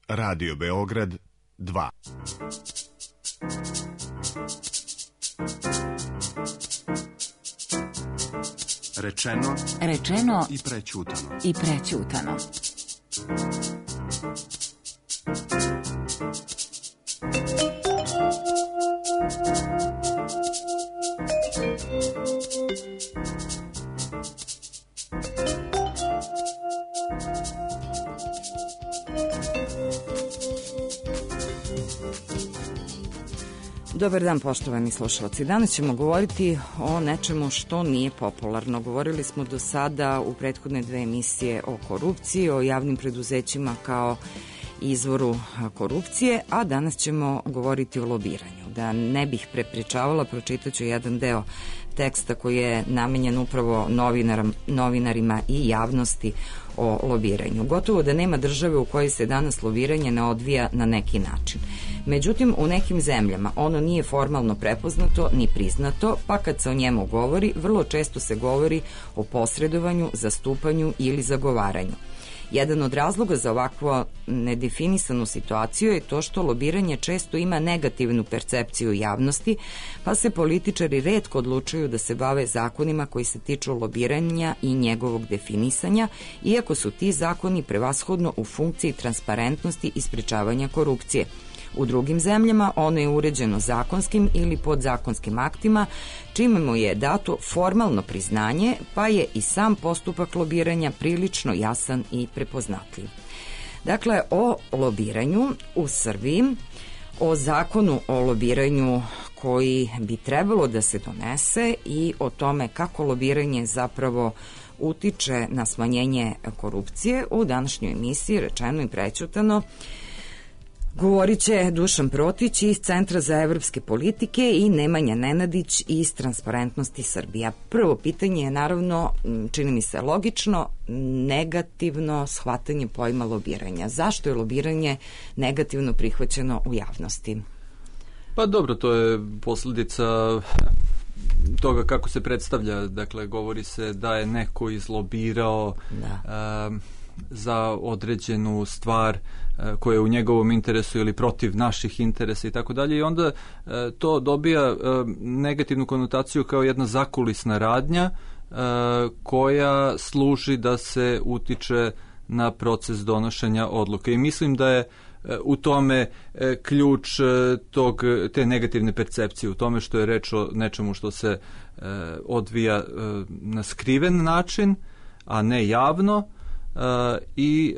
Radio Beograd 2. Rečeno i prećutano. Dobar dan, poštovani slušalci. Danas ćemo govoriti o nečemu što nije popularno. Govorili smo do sada u prethodne dve emisije o korupciji, o javnim preduzećima kao izvoru korupcije, a danas ćemo govoriti o lobiranju. Da ne bih prepričavala, pročitaću jedan deo teksta koji je namenjen upravo novinarima i javnosti o lobiranju. Gotovo da nema države u kojoj se danas lobiranje ne odvija na neki način. Međutim, u nekim zemljama ono nije formalno prepoznato ni priznato, pa kad se o njemu govori, vrlo često se govori o posredovanju, zastupanju ili zagovaranju. Jedan od razloga za ovakvu nedefinisanu situaciju je to što lobiranje često ima negativnu percepciju javnosti, pa se političari retko odlučuju da se bave zakonima koji se tiču lobiranja i njegovog definisanja, iako su ti zakoni prevashodno u funkciji transparentnosti i sprečavanja korupcije. U drugim zemljama ono je uređeno zakonskim ili podzakonskim aktima, čime mu je dato formalno priznanje, pa je i sam postupak lobiranja prilično jasan i prepoznatljiv. Dakle, o lobiranju u Srbiji, o zakonu o lobiranju koji bi trebalo da se donese i o tome kako lobiranje zapravo utiče na smanjenje korupcije, u današnjoj emisiji Rečeno i prećutano govorit će Dušan Protić iz Centra za evropske politike i Nemanja Nenadić iz Transparentnosti Srbija. Prvo pitanje je naravno, čini mi se logično, negativno shvatanje pojma lobiranja. Zašto je lobiranje negativno prihvaćeno u javnosti? Pa dobro, to je posljedica toga kako se predstavlja. Dakle, govori se da je neko izlobirao za određenu stvar koja je u njegovom interesu ili protiv naših interesa i tako dalje, i onda to dobija negativnu konotaciju kao jedna zakulisna radnja koja služi da se utiče na proces donošenja odluke. I mislim da je u tome ključ te negativne percepcije, u tome što je reč o nečemu što se odvija na skriven način, a ne javno, i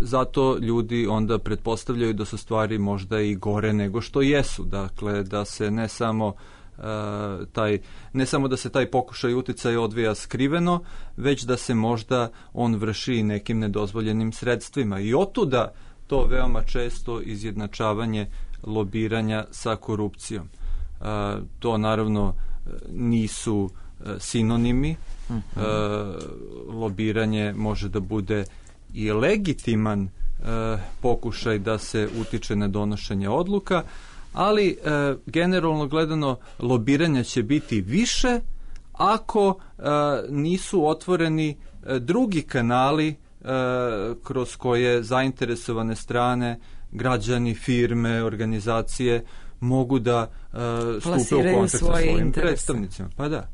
zato ljudi onda pretpostavljaju da su stvari možda i gore nego što jesu. Dakle, da se ne samo da se taj pokušaj uticaja odvija skriveno, već da se možda on vrši nekim nedozvoljenim sredstvima. I otuda to veoma često izjednačavanje lobiranja sa korupcijom. To naravno nisu sinonimi. Lobiranje može da bude i legitiman pokušaj da se utiče na donošenje odluka, ali generalno gledano lobiranja će biti više ako nisu otvoreni drugi kanali kroz koje zainteresovane strane, građani, firme, organizacije mogu da stupe u kontakt sa svojim predstavnicima. Pa da.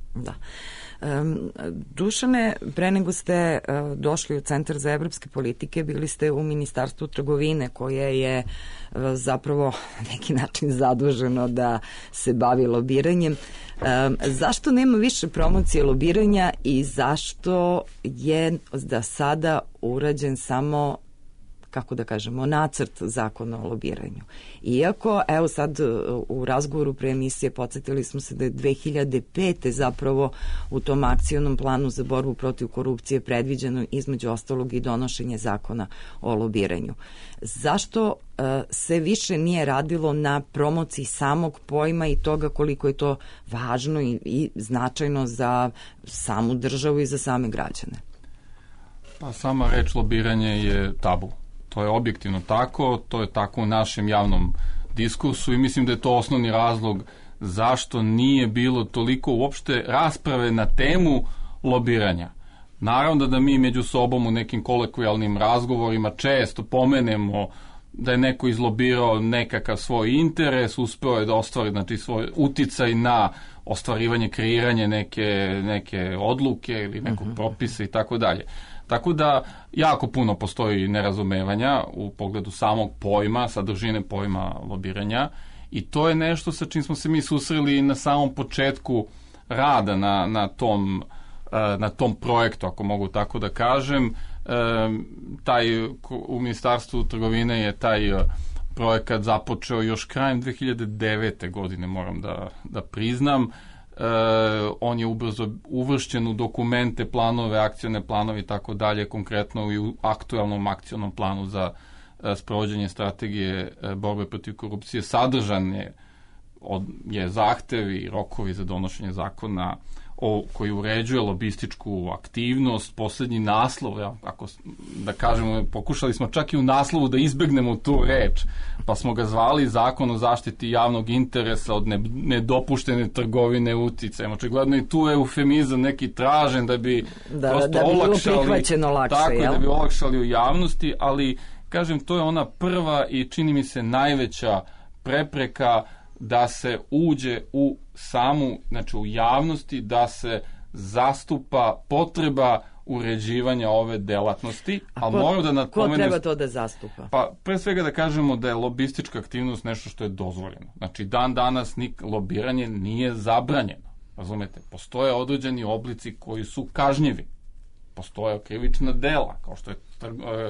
Dušane, pre nego ste došli u Centar za evropske politike, bili ste u Ministarstvu trgovine koje je zapravo na neki način zaduženo da se bavi lobiranjem. Zašto nema više promocije lobiranja i zašto je da sada urađen samo, kako da kažemo, nacrt zakona o lobiranju? Iako, evo sad u razgovoru pre emisije podsjetili smo se da je 2005. zapravo u tom akcionom planu za borbu protiv korupcije predviđeno između ostalog i donošenje zakona o lobiranju. Zašto se više nije radilo na promociji samog pojma i toga koliko je to važno i značajno za samu državu i za same građane? Pa sama reč lobiranje je tabu. To je objektivno tako, to je tako u našem javnom diskursu i mislim da je to osnovni razlog zašto nije bilo toliko uopšte rasprave na temu lobiranja. Naravno da mi među sobom u nekim kolokvijalnim razgovorima često pomenemo da je neko izlobirao nekakav svoj interes, uspeo je da ostvari, znači, svoj uticaj na ostvarivanje, kreiranje neke odluke ili nekog propisa i tako dalje. Tako da jako puno postoji nerazumevanja u pogledu samog pojma, sadržine pojma lobiranja, i to je nešto sa čim smo se mi susreli na samom početku rada na tom projektu, ako mogu tako da kažem. U Ministarstvu trgovine je taj projekat započeo još krajem 2009. godine, moram da priznam. On je ubrzo uvršćen u dokumente, planove, akcione planove i tako dalje, konkretno i u aktualnom akcionom planu za sprovođenje strategije borbe protiv korupcije. Sadržan je zahtev i rokovi za donošenje zakona koji uređuje lobističku aktivnost. Poslednji naslov, ako da kažemo, pokušali smo čak i u naslovu da izbegnemo tu reč, pa smo ga zvali Zakon o zaštiti javnog interesa od nedopuštene trgovine uticajem. Očigledno i tu je eufemizam neki tražen da bi prosto olakšali, da bi olakšali u javnosti, ali kažem, to je ona prva i čini mi se najveća prepreka da se uđe u samu, znači u javnosti, da se zastupa potreba uređivanja ove delatnosti. Ko treba to da zastupa? Pa pre svega da kažemo da je lobistička aktivnost nešto što je dozvoljeno. Znači dan danas lobiranje nije zabranjeno. Razumete? Postoje određeni oblici koji su kažnjivi. Postoje krivična dela, kao što je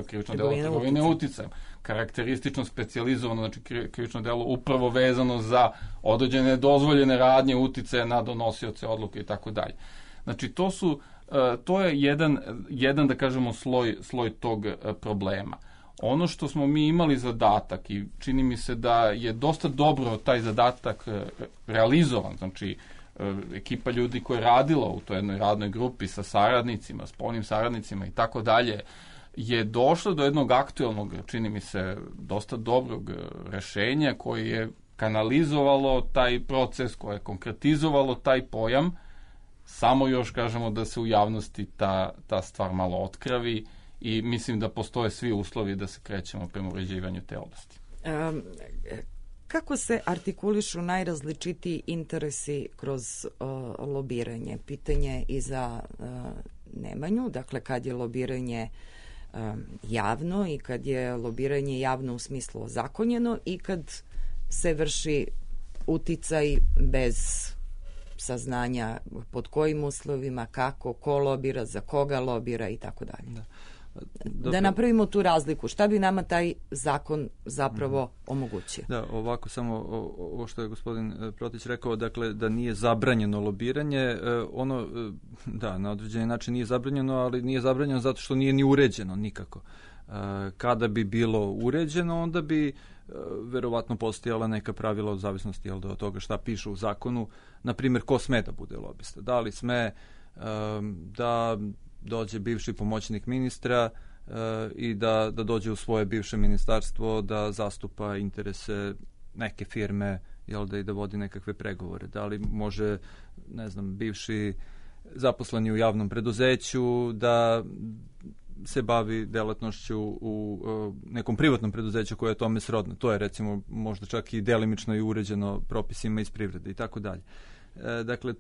krivično delo trgovine uticajem, karakteristično specijalizovano, znači krivično delo upravo vezano za određene dozvoljene radnje uticaja na donosioce odluke i tako dalje. Znači to je jedan da kažemo sloj tog problema. Ono što smo mi imali zadatak i čini mi se da je dosta dobro taj zadatak realizovan, znači ekipa ljudi koja je radila u toj jednoj radnoj grupi sa saradnicima, spoljnim saradnicima i tako dalje, je došlo do jednog aktualnog, čini mi se, dosta dobrog rešenja koje je kanalizovalo taj proces, koje je konkretizovalo taj pojam, samo još kažemo da se u javnosti ta stvar malo otkravi i mislim da postoje svi uslovi da se krećemo prema uređivanju te oblasti. Kako se artikulišu najrazličitiji interesi kroz lobiranje? Pitanje i za Nemanju, dakle kad je lobiranje javno i kad je lobiranje javno u smislu ozakonjeno i kad se vrši uticaj bez saznanja pod kojim uslovima, kako, ko lobira, za koga lobira i tako dalje. Da napravimo tu razliku. Šta bi nama taj zakon zapravo omogućio? Da, ovako samo ovo što je gospodin Protić rekao, dakle da nije zabranjeno lobiranje, ono, da, na određeni način nije zabranjeno, ali nije zabranjeno zato što nije ni uređeno nikako. Kada bi bilo uređeno, onda bi verovatno postojala neka pravila od zavisnosti od toga šta piše u zakonu, na primjer ko sme da bude lobista. Da li sme da dođe bivši pomoćnik ministra i da dođe u svoje bivše ministarstvo da zastupa interese neke firme, i da vodi nekakve pregovore. Da li može, ne znam, bivši zaposleni u javnom preduzeću da se bavi delatnošću u nekom privatnom preduzeću koje je tome srodno. To je recimo možda čak i delimično i uređeno propisima iz privrede i tako dalje. Dakle,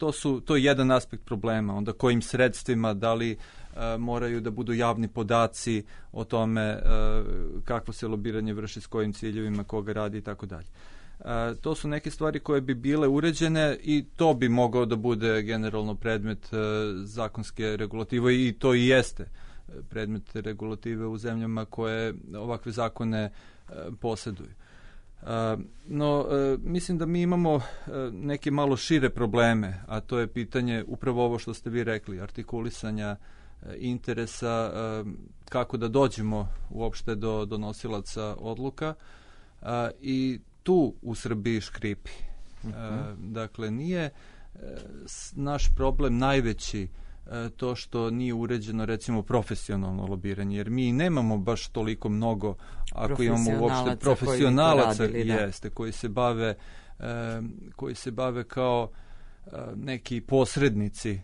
to je jedan aspekt problema. Onda kojim sredstvima, da li moraju da budu javni podaci o tome kako se lobiranje vrši, s kojim ciljevima, koga radi i tako dalje. To su neke stvari koje bi bile uređene i to bi mogao da bude generalno predmet zakonske regulative i to i jeste predmet regulative u zemljama koje ovakve zakone posjeduju. No, mislim da mi imamo neke malo šire probleme, a to je pitanje upravo ovo što ste vi rekli, artikulisanja interesa, kako da dođemo uopšte do donosilaca odluka i tu u Srbiji škripi. Dakle, nije naš problem najveći to što nije uređeno recimo profesionalno lobiranje, jer mi nemamo baš toliko mnogo, ako imamo uopšte profesionalaca koji se bave kao neki posrednici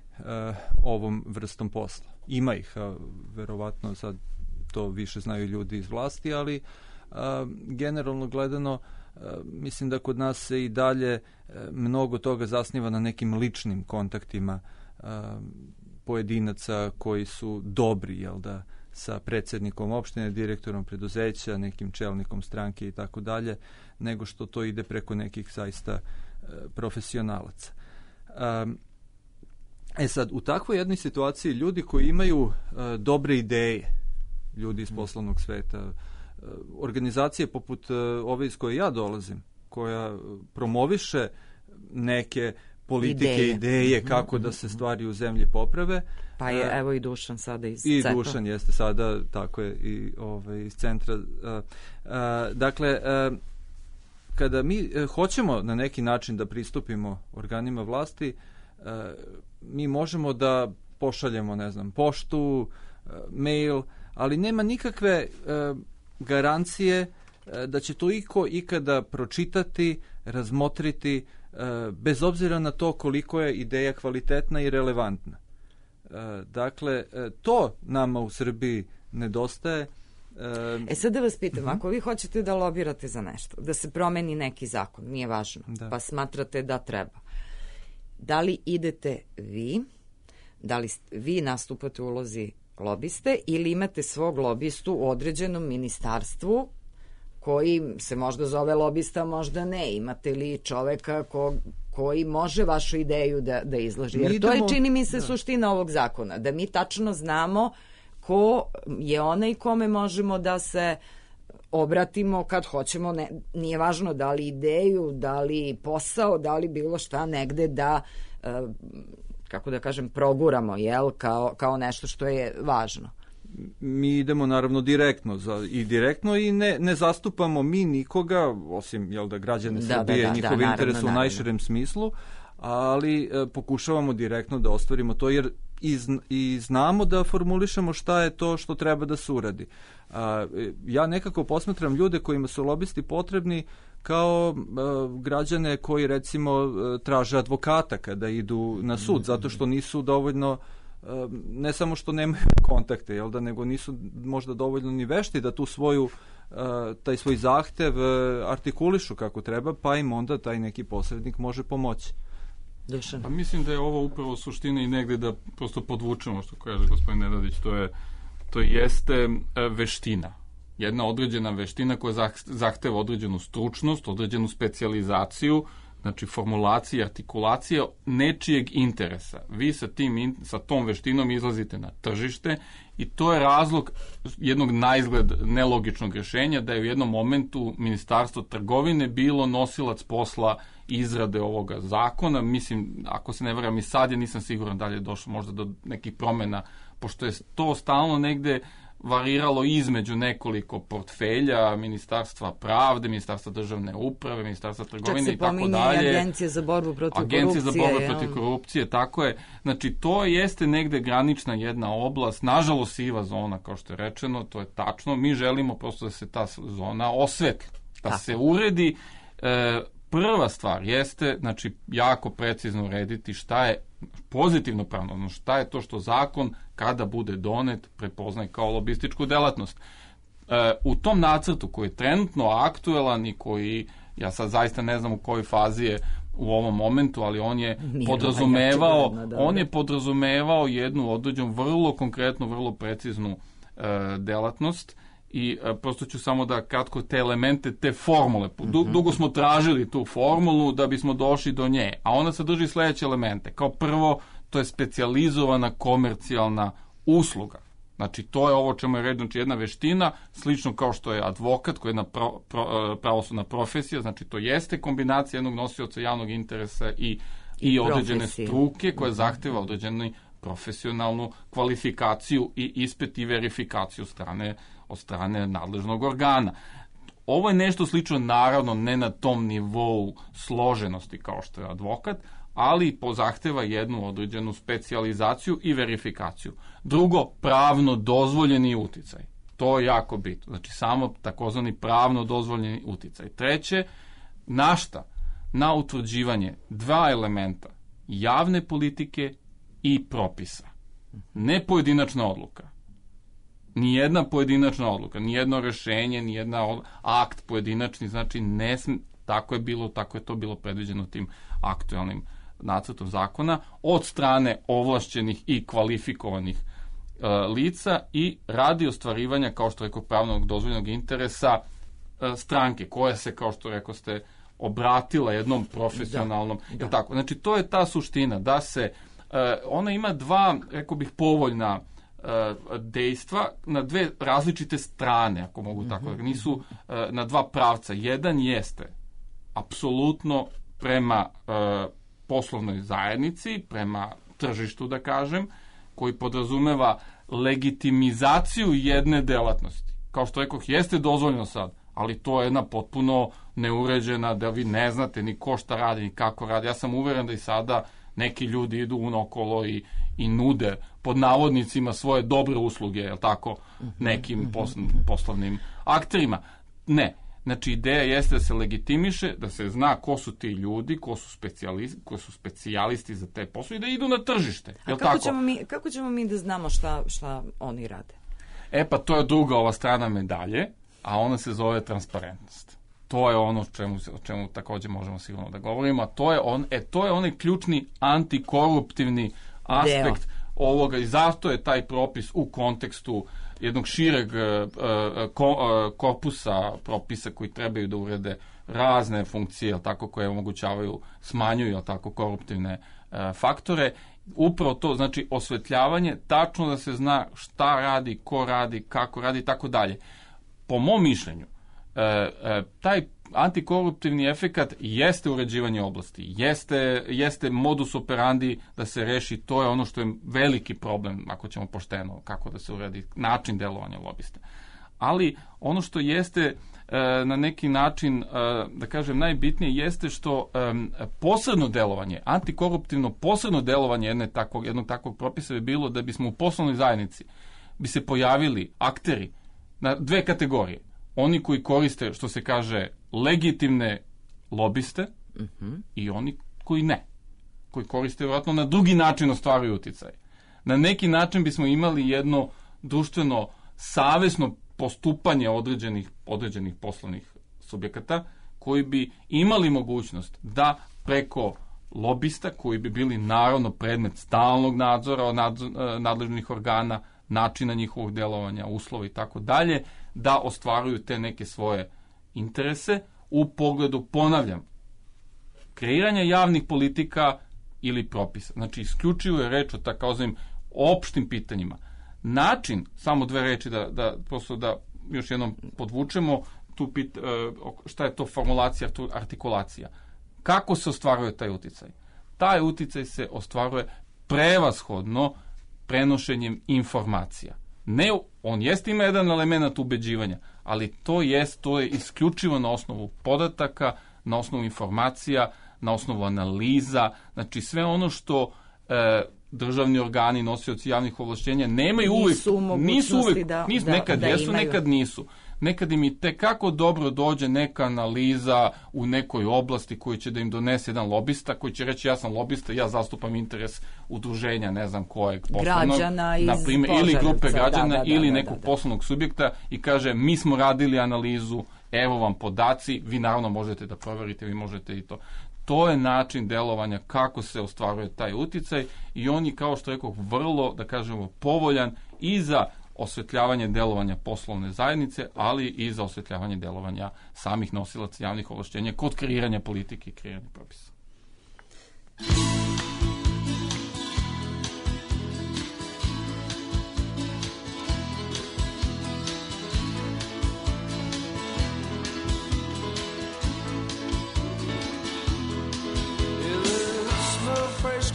ovom vrstom posla. Ima ih, verovatno sad to više znaju ljudi iz vlasti, generalno gledano, mislim da kod nas se i dalje mnogo toga zasniva na nekim ličnim kontaktima pojedinaca koji su dobri, jel da, sa predsjednikom opštine, direktorom preduzeća, nekim čelnikom stranke i tako dalje, nego što to ide preko nekih zaista profesionalaca. Sad, u takvoj jednoj situaciji ljudi koji imaju dobre ideje, ljudi iz poslovnog sveta, organizacije poput ove iz koje ja dolazim, koja promoviše neke politike, ideje kako da se stvari u zemlji poprave. Pa je evo i Dušan sada iz CEPA. I Dušan jeste sada, tako je, i iz centra. Dakle, kada mi hoćemo na neki način da pristupimo organima vlasti, mi možemo da pošaljemo, ne znam, poštu, mail, ali nema nikakve garancije da će to iko ikada pročitati, razmotriti, bez obzira na to koliko je ideja kvalitetna i relevantna. Dakle, to nama u Srbiji nedostaje. Sad da vas pitam, ako vi hoćete da lobirate za nešto, da se promeni neki zakon, nije važno, pa smatrate da treba, da li idete vi, da li vi nastupate u ulozi lobiste ili imate svog lobistu u određenom ministarstvu koji se možda zove lobista, možda ne. Imate li čoveka koji može vašu ideju da izloži? Jer to je, čini mi se, suština ovog zakona, da mi tačno znamo ko je onaj kome možemo da se obratimo kad hoćemo, nije važno da li ideju, da li posao, da li bilo šta negde da, kako da kažem, proguramo, jel, kao nešto što je važno. Mi idemo naravno direktno i ne zastupamo mi nikoga, osim, jel da, građane Srbije, njihov interes u najširem smislu, ali pokušavamo direktno da ostvarimo to, jer i znamo da formulišemo šta je to što treba da se uradi. Ja nekako posmatram ljude kojima su lobisti potrebni kao građane koji, recimo, traže advokata kada idu na sud, zato što nisu dovoljno, ne samo što nemaju kontakte, jel da, nego nisu možda dovoljno ni vešti da tu taj svoj zahtev artikulišu kako treba, pa im onda taj neki posrednik može pomoći. Dušan. Pa mislim da je ovo upravo suština i negde da prosto podvučemo što kaže gospodin Nenadić, to jeste veština. Jedna određena veština koja zahteva određenu stručnost, određenu specijalizaciju, znači formulacija, artikulacija nečijeg interesa. Vi sa tom veštinom izlazite na tržište i to je razlog jednog naizgled nelogičnog rješenja da je u jednom momentu Ministarstvo trgovine bilo nosilac posla izrade ovoga zakona. Mislim, ako se ne varam i sad, ja nisam siguran da li je došlo možda do nekih promjena, pošto je to stalno negde variralo između nekoliko portfelja, Ministarstva pravde, Ministarstva državne uprave, Ministarstva trgovine i tako dalje. Čak se pominje Agencija za borbu protiv korupcije. Agencija za borbu protiv korupcije, tako je. Znači, to jeste negde granična jedna oblast, nažalost siva zona, kao što je rečeno, to je tačno. Mi želimo prosto da se ta zona osvetli, da se uredi. Prva stvar jeste, znači, jako precizno urediti šta je pozitivno pravno, šta je to što zakon kada bude donet prepoznaje kao lobističku delatnost. U tom nacrtu koji je trenutno aktuelan i koji, ja sad zaista ne znam u kojoj fazi je u ovom momentu, ali on je podrazumevao jednu određenu vrlo konkretnu, vrlo preciznu delatnost. I prosto ću samo da kratko te elemente, te formule, dugo smo tražili tu formulu da bismo došli do nje, a ona sadrži sledeće elemente. Kao prvo, to je specijalizovana komercijalna usluga. Znači, to je ovo čemu je reč, znači jedna veština, slično kao što je advokat, koja je jedna pravosudna profesija, znači to jeste kombinacija jednog nosioca javnog interesa i određene struke koja zahteva određenu profesionalnu kvalifikaciju i ispit i verifikaciju od strane nadležnog organa. Ovo je nešto slično, naravno, ne na tom nivou složenosti kao što je advokat, ali zahteva jednu određenu specijalizaciju i verifikaciju. Drugo, pravno dozvoljeni uticaj. To je jako bitno. Znači, samo takozvani pravno dozvoljeni uticaj. Treće, na utvrđivanje dva elementa, javne politike i propisa. Ne pojedinačna odluka, Nijedna pojedinačna odluka, nijedno rešenje, nijedna akt pojedinačni, znači tako je to bilo predviđeno tim aktualnim nacrtom zakona od strane ovlašćenih i kvalifikovanih lica i radi ostvarivanja, kao što rekao, pravnog dozvoljenog interesa stranke, koja se, kao što rekao ste, obratila jednom profesionalnom, jel tako? Znači, to je ta suština, da se, ona ima dva, rekao bih, povoljna dejstva na dve različite strane, ako mogu tako, nisu na dva pravca. Jedan jeste apsolutno prema poslovnoj zajednici, prema tržištu, da kažem, koji podrazumeva legitimizaciju jedne delatnosti. Kao što rekoh, jeste dozvoljeno sad, ali to je jedna potpuno neuređena, da vi ne znate ni ko šta radi, ni kako radi. Ja sam uveren da i sada neki ljudi idu unokolo i nude pod navodnicima svoje dobre usluge, jel tako, nekim poslovnim akterima. Ne. Znači, ideja jeste da se legitimiše, da se zna ko su ti ljudi, ko su specijalisti za te poslove i da idu na tržište. A kako ćemo mi da znamo šta oni rade? Pa to je druga ova strana medalje, a ona se zove transparentnost. To je ono o čemu takođe možemo sigurno da govorimo, a to je onaj ključni antikoruptivni aspekt ovoga i zato je taj propis u kontekstu jednog šireg korpusa propisa koji trebaju da urede razne funkcije, jel tako, koje omogućavaju, smanjuju, jel tako, koruptivne faktore. Upravo to, znači osvetljavanje, tačno da se zna šta radi, ko radi, kako radi i tako dalje. Po mom mišljenju, taj antikoruptivni efekat jeste uređivanje oblasti, jeste modus operandi da se reši, to je ono što je veliki problem, ako ćemo pošteno, kako da se uredi način delovanja lobista. Ali ono što jeste na neki način, da kažem, najbitnije jeste što posredno delovanje, antikoruptivno posredno delovanje jednog takvog propisa bi bilo da bismo u poslovnoj zajednici bi se pojavili akteri na dve kategorije. Oni koji koriste, što se kaže, legitimne lobiste i oni koji ne. Koji koriste, vjerojatno, na drugi način ostvaruju uticaj. Na neki način bismo imali jedno društveno, savesno postupanje određenih poslovnih subjekata koji bi imali mogućnost da preko lobista, koji bi bili naravno predmet stalnog nadzora od nadležnih organa, načina njihovog delovanja, uslova i tako dalje, da ostvaruju te neke svoje interese u pogledu, ponavljam, kreiranja javnih politika ili propisa. Znači, isključivo je reč o takozvanim opštim pitanjima. Način, samo dve reči da još jednom podvučemo, šta je to formulacija, artikulacija. Kako se ostvaruje taj uticaj? Taj uticaj se ostvaruje prevashodno prenošenjem informacija. Ne, on ima jedan element ubeđivanja, ali to je isključivo na osnovu podataka, na osnovu informacija, na osnovu analiza, znači sve ono što državni organi, nosioci javnih ovlašćenja nemaju nisu uvek, nekad jesu, nekad nisu. Nekad im i tekako dobro dođe neka analiza u nekoj oblasti koju će da im donese jedan lobista, koji će reći ja sam lobista, ja zastupam interes udruženja, ne znam kojeg poslovnog, ili grupe građana, ili nekog poslovnog subjekta i kaže mi smo radili analizu, evo vam podaci, vi naravno možete da proverite, vi možete i to. To je način delovanja kako se ostvaruje taj uticaj i on je, kao što rekao, vrlo, da kažemo, povoljan i za osvetljavanje delovanja poslovne zajednice, ali i za osvetljavanje delovanja samih nosilaca javnih ovlašćenja kod kreiranja politike i kreiranja propisa.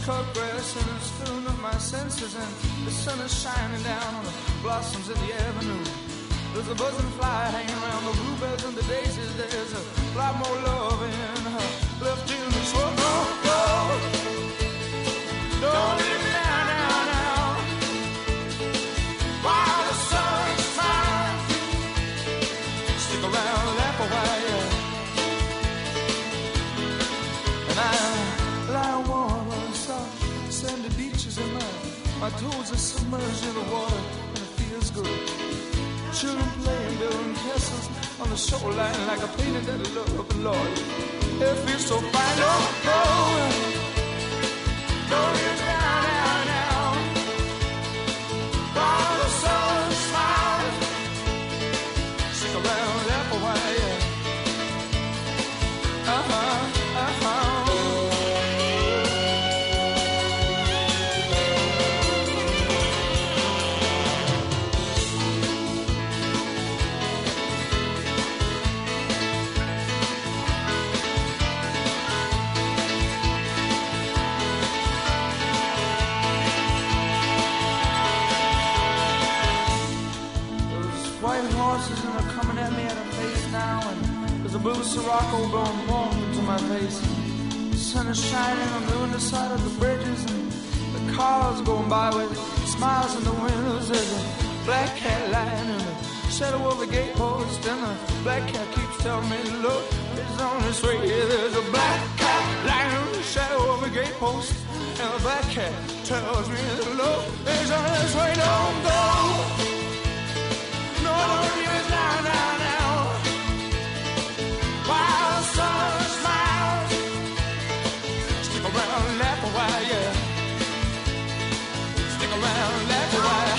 Cut grass and it's filling up my senses, and the sun is shining down on the blossoms in the avenue. There's a buzzing fly hanging around the bluebells and the daisies. There's a lot more love in her left in this world. Don't leave me now. While the sun's trying, stick around, laugh a while, and I warm on soft sandy beaches, and my toes are submerged in the water, and it feels good. the shoreline like a painted that I love, Lord. It feels so fine. Don't go. Don't leave me down, down, down. While the sun smiles, stick around, laugh a while, yeah. Horses and they're coming at me at a pace now, and there's a blue Sirocco blowing warm into my face. The sun is shining on the underside of the bridges, and the cars going by with smiles in the windows. There's a black cat lying in the shadow of the gatepost, and the black cat keeps telling me, look, it's on its way. There's a black cat lying in the shadow of the gatepost, and the black cat tells me, look, it's on its way. Don't go. No, don't leave us down, down, down. While the sun smiles, stick around, laugh a while, yeah. Stick around, laugh a while.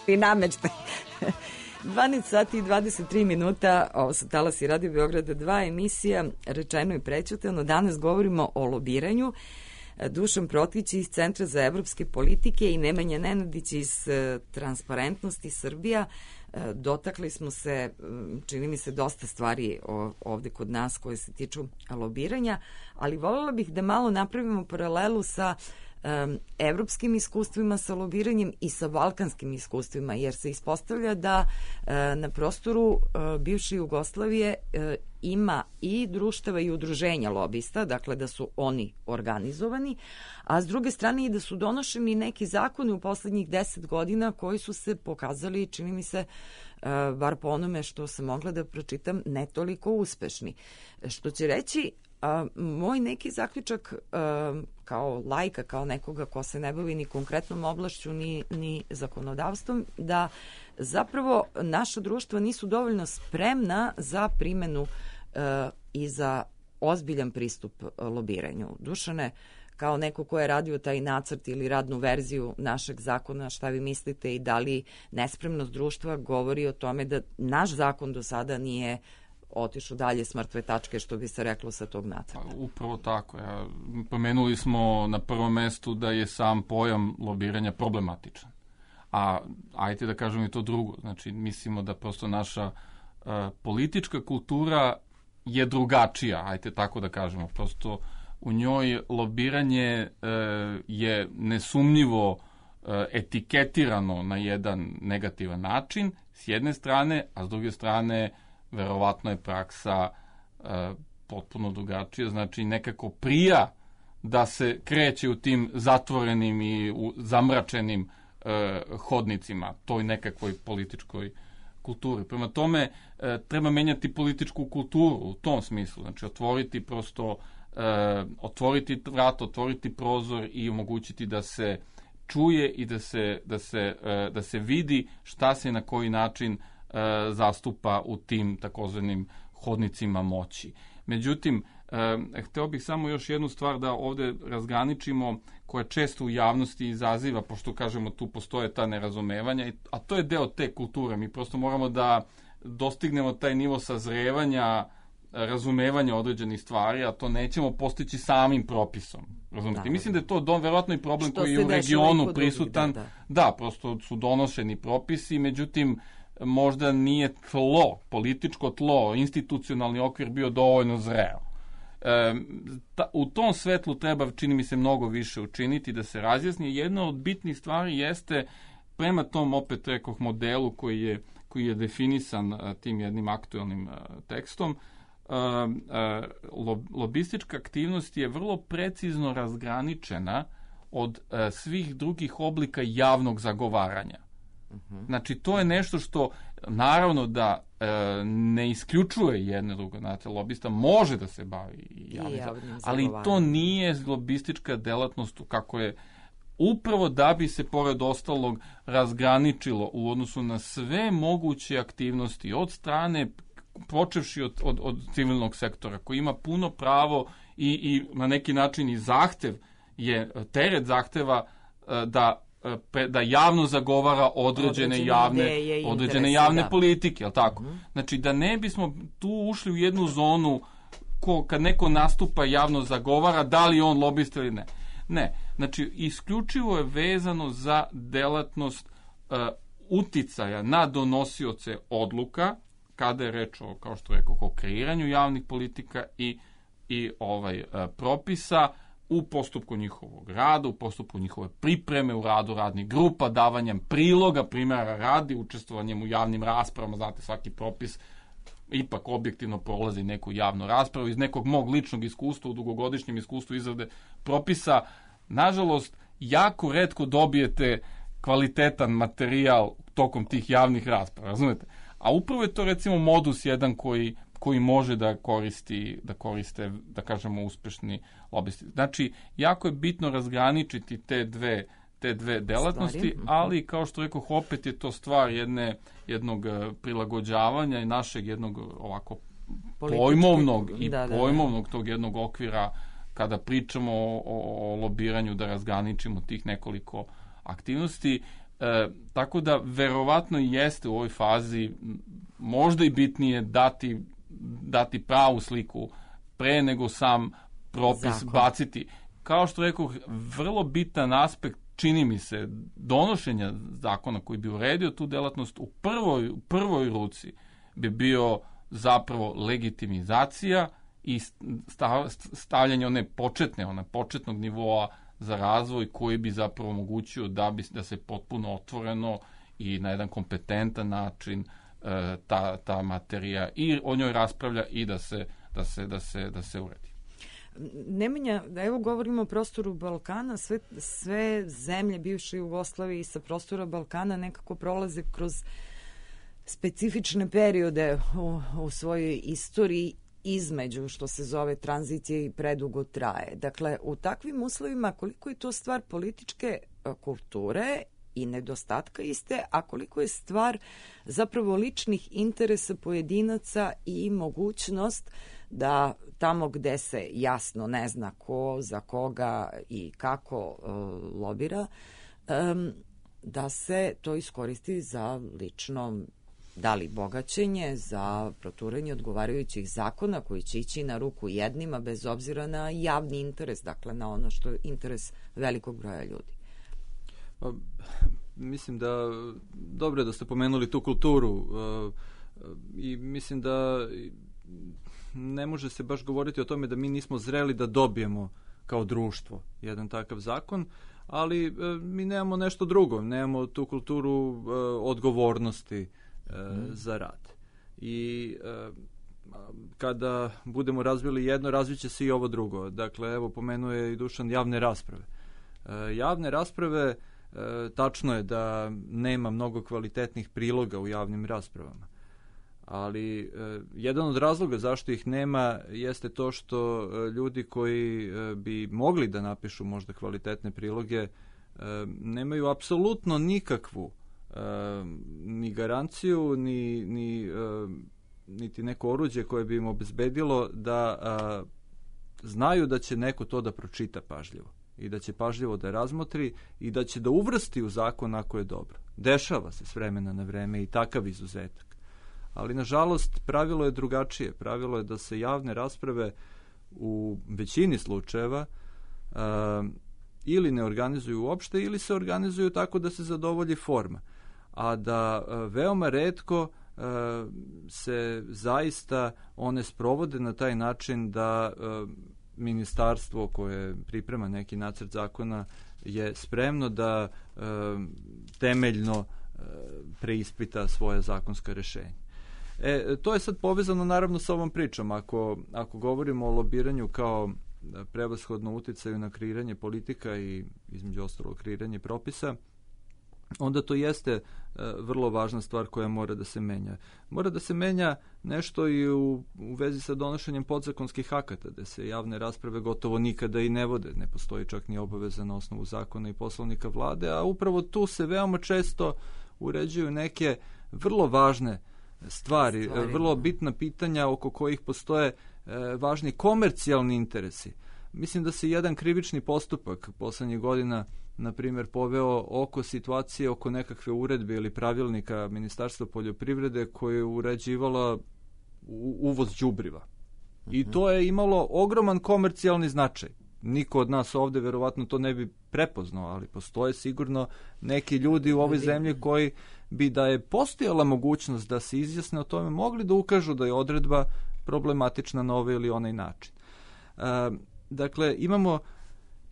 I namečtaj. 12 sati i 23 minuta, ovo su Talasi Radio Beograda 2, emisija Rečeno i prećutano. Danas govorimo o lobiranju. Dušan Protić iz Centra za evropske politike i Nemanja Nenadić iz Transparentnosti Srbija. Dotakli smo se, čini mi se, dosta stvari ovde kod nas koje se tiču lobiranja, ali voljela bih da malo napravimo paralelu sa evropskim iskustvima sa lobiranjem i sa balkanskim iskustvima, jer se ispostavlja da na prostoru bivše Jugoslavije ima i društava i udruženja lobista, dakle da su oni organizovani, a s druge strane i da su donošeni neki zakoni u poslednjih 10 godina koji su se pokazali, čini mi se, bar po onome što sam mogla da pročitam, ne toliko uspešni. Što će reći, moj neki zaključak kao lajka, kao nekoga ko se ne bavi ni konkretnom oblašću ni zakonodavstvom, da zapravo naša društva nisu dovoljno spremna za primenu i za ozbiljan pristup lobiranju. Dušane, kao neko ko je radio taj nacrt ili radnu verziju našeg zakona, šta vi mislite i da li nespremnost društva govori o tome da naš zakon do sada nije otišao dalje s mrtve tačke, što bi se reklo, sa tog nacrta? Upravo tako. Pomenuli smo na prvom mestu da je sam pojam lobiranja problematičan. A ajte da kažemo i to drugo. Znači, mislimo da prosto naša politička kultura je drugačija, ajte tako da kažemo. Prosto u njoj lobiranje je nesumnjivo etiketirano na jedan negativan način, s jedne strane, a s druge strane verovatno je praksa potpuno drugačija, znači nekako prija da se kreće u tim zatvorenim i zamračenim hodnicima, toj nekakvoj političkoj kulturi. Prema tome, treba menjati političku kulturu u tom smislu, znači otvoriti prosto, otvoriti vrat, otvoriti prozor i omogućiti da se čuje i da se vidi šta se na koji način zastupa u tim takozvanim hodnicima moći. Međutim, hteo bih samo još jednu stvar da ovde razgraničimo, koja često u javnosti izaziva, pošto kažemo tu postoje ta nerazumevanja, a to je deo te kulture. Mi prosto moramo da dostignemo taj nivo sazrevanja, razumevanja određenih stvari, a to nećemo postići samim propisom. Razumete? Mislim da je to verovatno i problem koji je u regionu prisutan. Da, prosto su donošeni propisi, međutim, možda nije političko tlo, institucionalni okvir bio dovoljno zreo. U tom svetlu treba, čini mi se, mnogo više učiniti da se razjasni. Jedna od bitnih stvari jeste, prema tom, opet rekoh, modelu koji je definisan tim jednim aktuelnim tekstom, lobistička aktivnost je vrlo precizno razgraničena od svih drugih oblika javnog zagovaranja. Znači, to je nešto što, naravno, da ne isključuje jedno drugo. Znate, lobista može da se bavi javnim ali to nije lobistička delatnost kako je, upravo da bi se, pored ostalog, razgraničilo u odnosu na sve moguće aktivnosti od strane, počevši od civilnog sektora, koji ima puno pravo i na neki način i zahtev je, teret zahteva da javno zagovara određene javne politike, je li tako? Znači, da ne bismo tu ušli u jednu zonu kad neko nastupa javno zagovara, da li on lobista ili ne. Ne, znači, isključivo je vezano za delatnost uticaja na donosioce odluka, kada je reč o, kao što rekao, o kreiranju javnih politika i propisa, u postupku njihovog rada, u postupku njihove pripreme, u radu radnih grupa, davanjem priloga, primjera radi, učestvovanjem u javnim raspravama. Znate, svaki propis ipak objektivno prolazi neku javnu raspravu. Iz nekog mog ličnog iskustva, u dugogodišnjem iskustvu izrade propisa, nažalost, jako retko dobijete kvalitetan materijal tokom tih javnih rasprava, razumete? A upravo je to, recimo, modus jedan koji može da koriste, da kažemo, uspešni lobisti. Znači, jako je bitno razgraničiti te dve delatnosti, ali, kao što rekoh, opet je to stvar jednog prilagođavanja i našeg jednog ovako pojmovnog tog jednog okvira kada pričamo o lobiranju, da razgraničimo tih nekoliko aktivnosti. Tako da, verovatno jeste u ovoj fazi možda i bitnije dati pravu sliku pre nego sam propis baciti. Kao što rekao, vrlo bitan aspekt, čini mi se, donošenja zakona koji bi uredio tu delatnost u prvoj ruci bi bio zapravo legitimizacija i stavljanje one početnog nivoa za razvoj koji bi zapravo omogućio da se potpuno otvoreno i na jedan kompetentan način ta materija i o njoj raspravlja i da se uredi. Nemanja, evo govorimo o prostoru Balkana, sve zemlje bivše Jugoslavije i sa prostora Balkana nekako prolaze kroz specifične periode u svojoj istoriji između, što se zove tranzicije, i predugo traje. Dakle, u takvim uslovima koliko je to stvar političke kulture i nedostatka iste, a koliko je stvar zapravo ličnih interesa pojedinaca i mogućnost da tamo gde se jasno ne zna ko, za koga i kako lobira, da se to iskoristi za lično, da li bogaćenje, za proturanje odgovarajućih zakona koji će ići na ruku jednima bez obzira na javni interes, dakle na ono što je interes velikog broja ljudi. Mislim da dobro je da ste pomenuli tu kulturu i mislim da ne može se baš govoriti o tome da mi nismo zreli da dobijemo kao društvo jedan takav zakon, ali mi nemamo nešto drugo, nemamo tu kulturu odgovornosti za rad. I kada budemo razvili jedno, razviće se i ovo drugo. Dakle, evo, pomenuo je i Dušan javne rasprave. Javne rasprave, tačno je da nema mnogo kvalitetnih priloga u javnim raspravama, ali jedan od razloga zašto ih nema jeste to što ljudi koji bi mogli da napišu možda kvalitetne priloge nemaju apsolutno nikakvu ni garanciju, niti neko oruđe koje bi im obezbedilo da znaju da će neko to da pročita pažljivo i da će pažljivo da razmotri i da će da uvrsti u zakon ako je dobro. Dešava se s vremena na vreme i takav izuzetak. Ali, nažalost, pravilo je drugačije. Pravilo je da se javne rasprave u većini slučajeva ili ne organizuju uopšte ili se organizuju tako da se zadovolji forma. A da veoma retko se zaista one sprovode na taj način da ministarstvo koje priprema neki nacrt zakona je spremno da temeljno preispita svoje zakonska rešenja. To je sad povezano naravno sa ovom pričom. Ako govorimo o lobiranju kao prevashodno uticaju na kreiranje politika i između ostalog kreiranje propisa, onda to jeste vrlo važna stvar koja mora da se menja. Mora da se menja nešto i u vezi sa donošenjem podzakonskih akata, gde se javne rasprave gotovo nikada i ne vode. Ne postoji čak ni obaveza na osnovu zakona i poslovnika vlade, a upravo tu se veoma često uređuju neke vrlo važne stvari, vrlo bitna pitanja oko kojih postoje važni komercijalni interesi. Mislim da se jedan krivični postupak poslednjih godina, na primjer, poveo oko situacije, oko nekakve uredbe ili pravilnika Ministarstva poljoprivrede koje je uređivala uvoz đubriva. I to je imalo ogroman komercijalni značaj. Niko od nas ovde verovatno to ne bi prepoznao, ali postoje sigurno neki ljudi u ovoj zemlji koji bi, da je postojala mogućnost da se izjasne o tome, mogli da ukažu da je odredba problematična na ovaj ili onaj način. Dakle,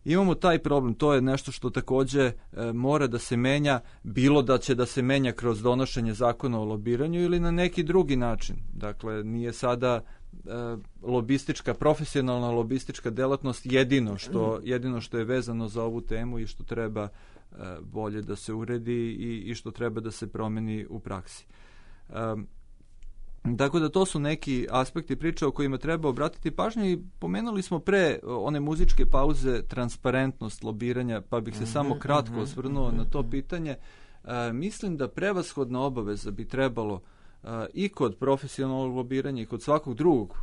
imamo taj problem, to je nešto što takođe mora da se menja, bilo da će da se menja kroz donošenje zakona o lobiranju ili na neki drugi način. Dakle, nije sada profesionalna lobistička delatnost jedino što je vezano za ovu temu i što treba bolje da se uredi i što treba da se promeni u praksi. Tako da to su neki aspekti priče o kojima treba obratiti pažnju i pomenuli smo pre one muzičke pauze transparentnost lobiranja, pa bih se samo kratko osvrnuo na to pitanje. Mislim da prevashodna obaveza bi trebalo i kod profesionalnog lobiranja i kod svakog drugog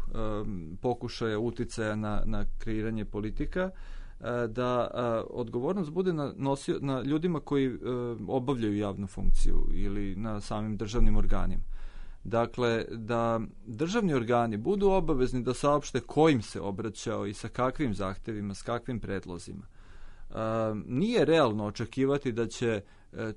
pokušaja uticaja na kreiranje politika, da odgovornost bude na ljudima koji obavljaju javnu funkciju ili na samim državnim organima. Dakle, da državni organi budu obavezni da saopšte kojim se obraćao i sa kakvim zahtevima, s kakvim predlozima. Nije realno očekivati da će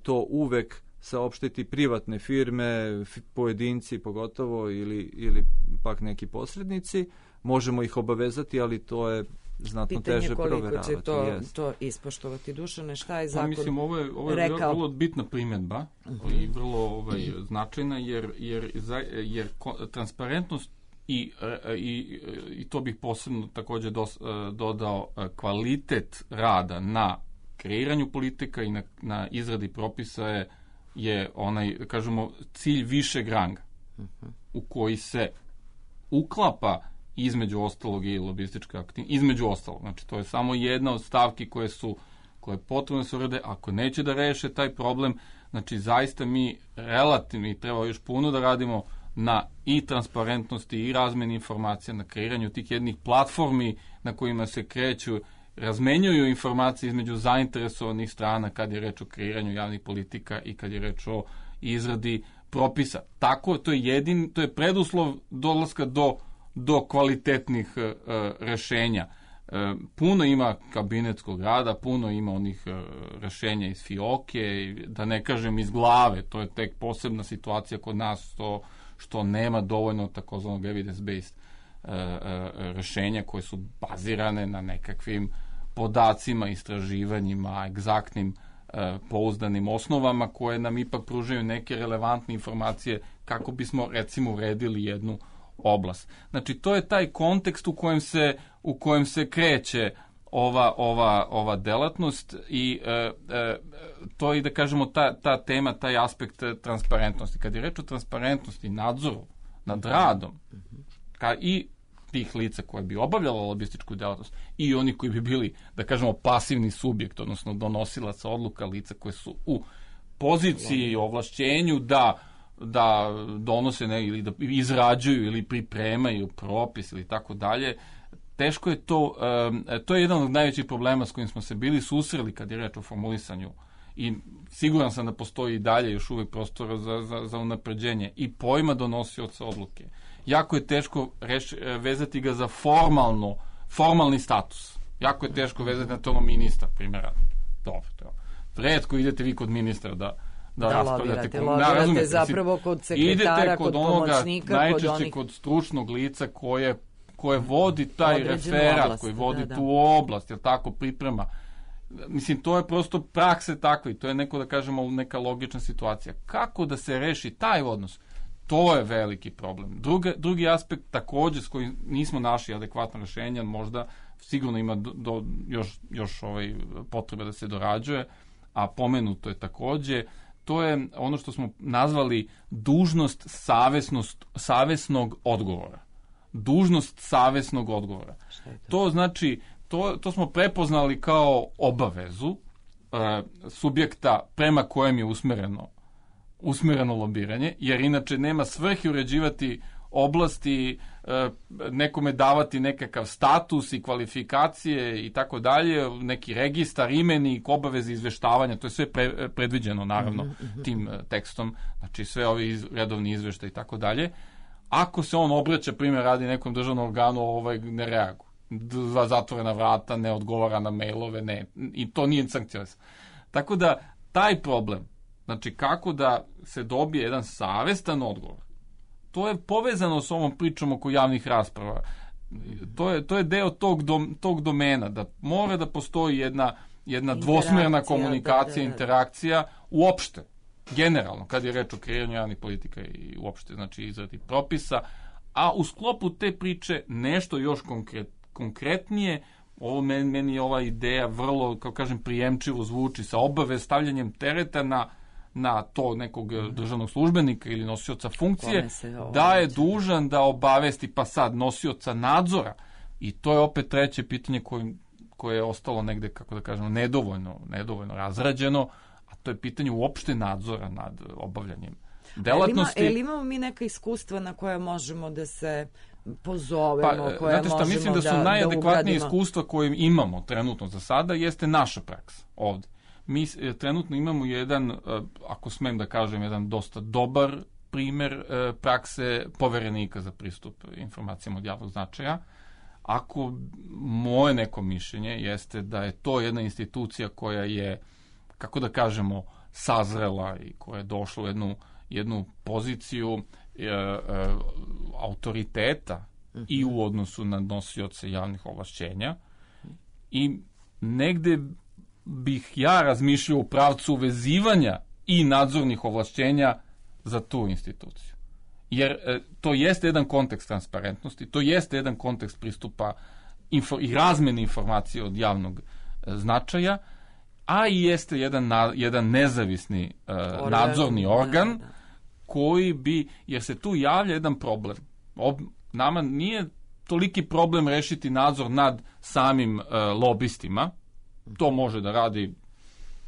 to uvek saopštiti privatne firme, pojedinci pogotovo ili pak neki posrednici. Možemo ih obavezati, ali to je znatno teže proveravati. Pitanje koliko će to ispoštovati. Dušane, šta je zakon mislim, ovo je vrlo bitna primjedba i vrlo značajna, jer transparentnost i to bih posebno takođe dodao, kvalitet rada na kreiranju politika i na izradi propisa je onaj, kažemo, cilj višeg ranga u koji se uklapa između ostalog i lobistička aktivnost, između ostalog. Znači, to je samo jedna od stavki koje potrebno se urede. Ako neće da reše taj problem, znači, zaista mi relativno treba još puno da radimo na i transparentnosti i razmeni informacija, na kreiranju tih jednih platformi na kojima se kreću, razmenjuju informacije između zainteresovanih strana kad je reč o kreiranju javnih politika i kad je reč o izradi propisa. Tako, to je preduslov dolaska do kvalitetnih rešenja. Puno ima kabinetskog rada, puno ima onih rešenja iz fioke, da ne kažem iz glave, to je tek posebna situacija kod nas, što nema dovoljno takozvanog evidence-based rešenja koje su bazirane na nekakvim podacima, istraživanjima, egzaktnim pouzdanim osnovama koje nam ipak pružaju neke relevantne informacije kako bismo, recimo, uredili jednu oblast. Znači, to je taj kontekst u kojem se kreće ova delatnost i to je, da kažemo, ta tema, taj aspekt transparentnosti. Kad je reč o transparentnosti, nadzoru nad radom i tih lica koje bi obavljala lobističku delatnost i oni koji bi bili, da kažemo, pasivni subjekt, odnosno donosilaca odluka, lica koje su u poziciji, ovlašćenju da donose ili da izrađuju ili pripremaju propis ili tako dalje. Teško je to je jedan od najvećih problema s kojim smo se bili susreli kad je reč o formulisanju i siguran sam da postoji i dalje još uvijek prostora za unapređenje i pojma donosioca odluke. Jako je teško vezati ga za formalni status. Jako je teško vezati na to ministar, primjera. Dobro. Retko idete vi kod ministra da raspravljate. Lobirate zapravo kod sekretara, kod pomoćnika, najčešće kod stručnog lica koje vodi taj referat, koji vodi tu oblast, jel tako, priprema. Mislim, to je prosto prakse takve i to je neko, da kažemo, neka logična situacija. Kako da se reši taj odnos? To je veliki problem. Drugi aspekt takođe s kojim nismo našli adekvatno rešenje, možda sigurno ima još potrebe da se dorađuje, a pomenuto je takođe, to je ono što smo nazvali dužnost savesnog odgovora. Dužnost savesnog odgovora. To znači, to smo prepoznali kao obavezu subjekta prema kojem je usmereno lobiranje, jer inače nema svrhe uređivati oblasti, nekome davati nekakav status i kvalifikacije i tako dalje, neki registar, imenik, obaveze izveštavanja, to je sve predviđeno naravno tim tekstom, znači sve ovi redovni izveštaj i tako dalje. Ako se on obraća, primjer radi nekom državnom organu, ne reaguje. Zatvorena vrata, ne odgovara na mailove, ne, i to nije sankcionisano. Tako da, taj problem, znači kako da se dobije jedan savestan odgovor, to je povezano s ovom pričom oko javnih rasprava. To je deo tog domena, da mora da postoji jedna dvosmerna komunikacija, interakcija uopšte, generalno, kad je reč o kreiranju javnih politika i uopšte, znači izradi propisa, a u sklopu te priče nešto još konkretnije, ovo meni je ova ideja vrlo, kao kažem, prijemčivo zvuči, sa stavljanjem tereta na to nekog državnog službenika ili nosioca funkcije, da je dužan da obavesti, pa sad, nosioca nadzora. I to je opet treće pitanje koje je ostalo negde, kako da kažemo, nedovoljno razrađeno, a to je pitanje uopšte nadzora nad obavljanjem delatnosti. Ali imamo mi neka iskustva na koje možemo da se pozovemo, koje možemo da mislim da su najadekvatnije iskustva koje imamo trenutno za sada, jeste naša praksa ovde. Mi trenutno imamo jedan, ako smem da kažem, jedan dosta dobar primer prakse poverenika za pristup informacijama od javnog značaja. Ako moje neko mišljenje jeste da je to jedna institucija koja je, kako da kažemo, sazrela i koja je došla u jednu poziciju autoriteta i u odnosu na nosioce javnih ovlašćenja i negde bih ja razmišljao u pravcu uvezivanja i nadzornih ovlašćenja za tu instituciju. Jer to jeste jedan kontekst transparentnosti, to jeste jedan kontekst pristupa i razmene informacije od javnog značaja, a i jeste jedan nezavisni nadzorni organ koji bi, jer se tu javlja jedan problem. Nama nije toliki problem rešiti nadzor nad samim lobistima, to može da radi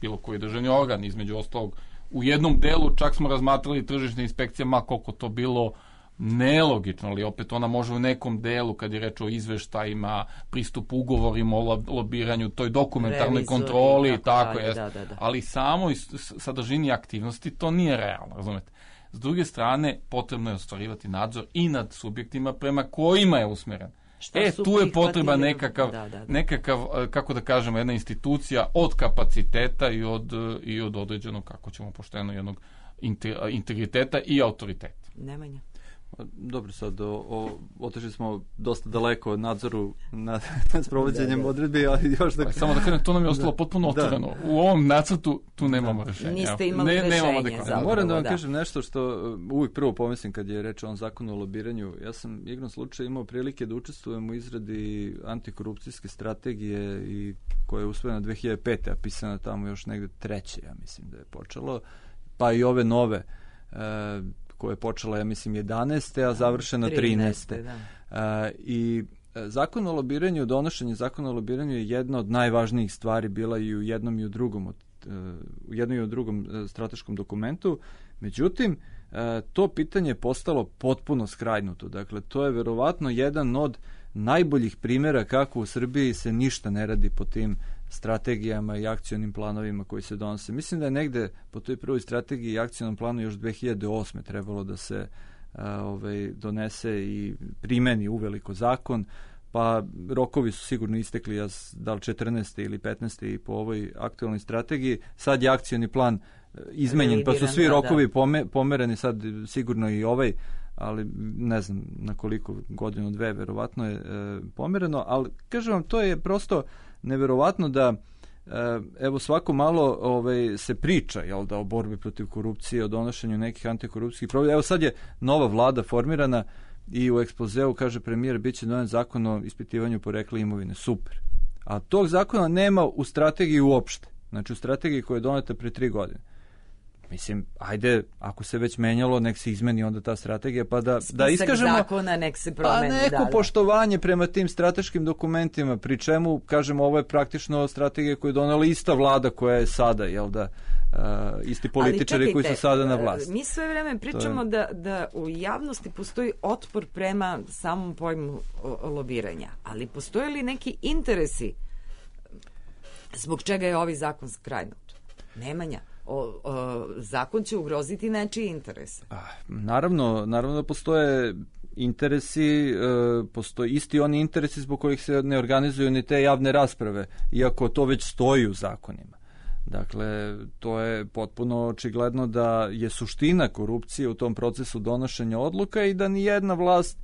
bilo koji državni organ, između ostalog. U jednom delu čak smo razmatrali tržišne inspekcije, ma koliko to bilo nelogično, ali opet ona može u nekom delu, kad je reč o izveštajima, pristupu ugovorima o lobiranju, toj dokumentarnoj kontroli, tako je. Ali samo i sadržini aktivnosti to nije realno, razumete. S druge strane, potrebno je ostvarivati nadzor i nad subjektima prema kojima je usmeren. Tu je potreba nekakav, kako da kažemo, jedna institucija od kapaciteta i od određenog, kako ćemo pošteno, jednog integriteta i autoriteta. Nemanja. Dobro, sad otišli smo dosta daleko od nadzoru nad sprovođenjem odredbi, ali još da... Samo da kažem, to nam je ostalo potpuno otvoreno. U ovom nacrtu tu nemamo rešenja. Niste imali rešenje. Moram da vam kažem nešto što uvijek prvo pomislim kad je reč o ovom zakonu o lobiranju. Ja sam igrom slučaju imao prilike da učestvujem u izradi antikorupcijske strategije i koja je usvojena 2005. a pisana tamo još negde 3. ja mislim da je počelo, pa i ove nove koja je počela, ja mislim, 11. a završena 13. I zakon o lobiranju, donošenje zakona o lobiranju je jedna od najvažnijih stvari bila i u jednom i u drugom strateškom dokumentu. Međutim, to pitanje je postalo potpuno skrajnuto. Dakle, to je verovatno jedan od najboljih primjera kako u Srbiji se ništa ne radi po tim strategijama i akcionim planovima koji se donose. Mislim da je negde po toj prvoj strategiji i akcionom planu još 2008. trebalo da se donese i primeni uveliko zakon, pa rokovi su sigurno istekli, da li 14. ili 15. i po ovoj aktualnoj strategiji. Sad je akcioni plan izmenjen, pa su svi rokovi pomereni, sad sigurno i ovaj, ali ne znam na koliko, godinu, dve, verovatno je pomereno, ali kažem vam, to je prosto neverovatno da evo svako malo se priča, jel da, o borbi protiv korupcije, o donošenju nekih antikorupcijskih programa. Evo sad je nova vlada formirana i u ekspozeu kaže premijer bit će donet zakon o ispitivanju porekla imovine. Super. A tog zakona nema u strategiji uopšte. Znači u strategiji koja je doneta pre 3 godine. Mislim, ajde, ako se već menjalo, nek se izmeni onda ta strategija, pa da iskažemo zakona, nek se promeni, pa neko poštovanje prema tim strateškim dokumentima, pri čemu, kažemo, ovo je praktično strategija koju je donela ista vlada koja je sada, jel da, isti političari koji su sada na vlasti. Mi sve vreme pričamo da u javnosti postoji otpor prema samom pojmu lobiranja, ali postoje li neki interesi zbog čega je ovaj zakon skrajnut? Nemanja. Zakon će ugroziti nečiji interes. Naravno postoje interesi, postoje isti oni interesi zbog kojih se ne organizuju ni te javne rasprave, iako to već stoji u zakonima. Dakle, to je potpuno očigledno da je suština korupcije u tom procesu donošenja odluka i da ni jedna vlast